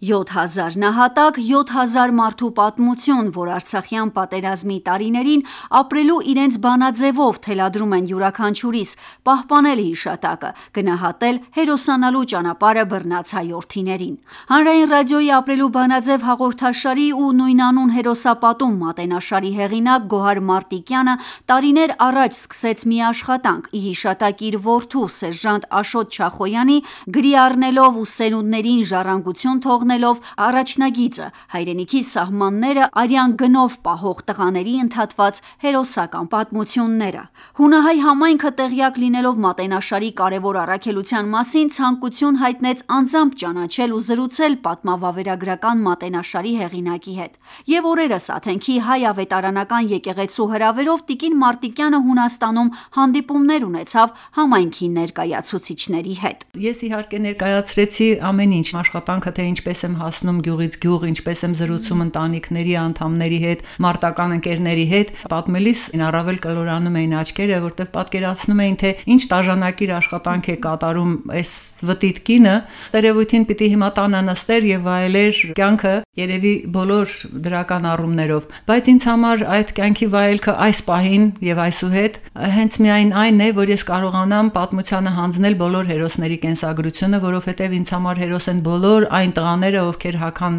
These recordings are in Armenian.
7000 նահատակ, 7000 մարդու պատմություն, որ Արցախյան պատերազմի տարիներին ապրելու իրենց բանաձևով թելադրում են յուրաքանչյուրիս, պահպանել հիշատակը, գնահատել, հերոսանալու ճանապարհը բռնած հայրենիներին։ Հանրային ռադիոյի ապրելու բանաձև հաղորդաշարի ու նույնանուն հերոսապատում մատենաշարի հեղինակ Գոհար Մարտիկյանը տարիներ առաջ սկսեց մի աշխատանք՝ ի հիշատակ իր որդու սերժանտ Աշոտ Չախոյանի, գրի առնելով ու սերունդներին ժառանգություն թողնելով առաջնագիծը, հայրենիքի սահմանները արյան գնով պահող տղաների ընդհատված հերոսական պատմությունները։ Հունահայ համայնքը տեղյակ լինելով մատենաշարի կարևոր առաքելության մասին, ցանկություն հայտնեց անձամբ ճանաչել ու զրուցել պատմավավերագրական մատենաշարի հեղինակի հետ։ Եվ օրերս Աթենքի հայ ավետարանական եկեղեցու հրավերով տիկին Մարտիկյանը Հունաստանում հանդիպումներ ունեցավ համայնքի ներկայացուցիչների հետ։ Ես իհարկե ներկայացրեցի ամեն ինչ, աշխատանքը թե ինչպես եմ հասնում գյուղից գյուղ, ինչպես եմ զրուցում ընտանիքների անդամների հետ, մարտական ընկերների հետ, պատմելիս առավել կլորանում էին աչքերը, որտեղ պատկերացնում էին, թե ինչ տաժանակիր աշխատանք է կատարում այս վտիտ կինը, ստերևույթին պիտի հիմա տանը նստեր եւ վայելեր կյանքը երևի բոլոր դրական առումներով, բայց ինձ համար այդ կյանքի վայելքը այս պահին եւ այսուհետ հենց միայն այն է, որ ես կարողանամ պատմությանը հանձնել բոլոր հերոսների կենսագրությունը, որովհետեւ ինձ համար հերոս են բոլոր այն տղաները, ովքեր հագան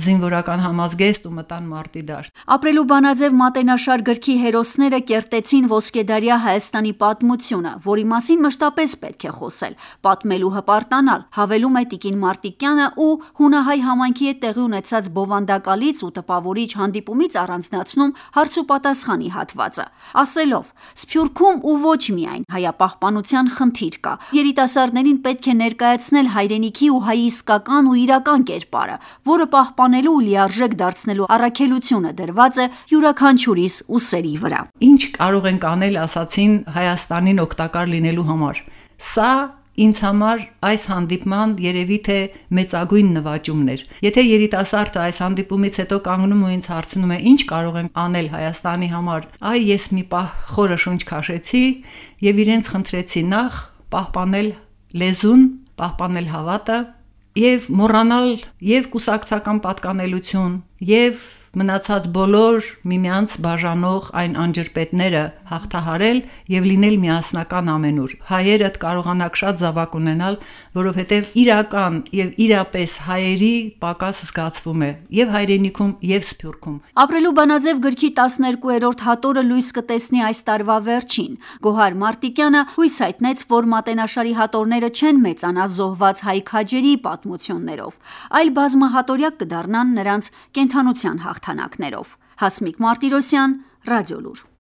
զինվորական համազգեստ ու մտան մարտի դաշտ։ Ապրելու բանաձև մատենաշար գրքի հերոսները կերտեցին ոսկեդարյա Հայաստանի պատմությունը, որի մասին մշտապես պետք է խոսել, պատմելու հպարտանալ, հավելում է տիկին Մարտիկյանը ու հունահայ համայնքի հետ տեղի ունեցած բովանդակալից ու տպավորիչ հանդիպումից առանձնացնում հարց ու պատասխանի հատվածը, ասելով. Սփյուռքում ու ոչ միայն հայապահպանության խնդիր կա, երիտասարդներին պետք է ներկայացնել հայրենիքի ու հայի իսկական ու իրական կերպարը, որը պահպանելու ու լիարժեք դարձնելու առաքելությունը դրված է յուրաքանչյուրիս ուսերի վրա։ Ինչ կարող ենք անել, ասացին, Հայաստանին օգտակար լինելու համար։ Սա ինձ համար այս հանդիպման երևի թե մեծագույն նվաճումն էր։ Եթե երիտասարդը այս հանդիպումից հետո կանգնում ու ինձ հարցնում է ինչ կարող ենք անել Հայաստանի համար, այ ես մի պահ խորը շունչ քաշեցի եւ իրենց խնդրեցի նախ պահպանել լեզուն, պահպանել հավատը եւ մոռանալ եւ կուսակցական պատկանելություն եւ մնացած բոլոր միմյանց բաժանող այն անջրպետները հաղթահարել եւ լինել միասնական ամենուր։ Հայերը կարողանաք շատ զավակ ունենալ, որովհետեւ իրական եւ իրապես հայերի պակաս զգացվում է եւ հայրենիքում եւ Սփյուռքում։ Ապրելու բանաձև գրքի 12-րդ հատորը լույս կտեսնի այս տարվա վերջին։ Գոհար Մարտիկյանը հույս հայտնեց, որ մատենաշարի հատորները չեն մեծանա զոհված հայ քաջերի պատմություններով, այլ բազմահատորյակ կդառնան նրանց կենդանության հաղթանակներով։ Հասմիկ Մարտիրոսյան, Ռադիոլուր։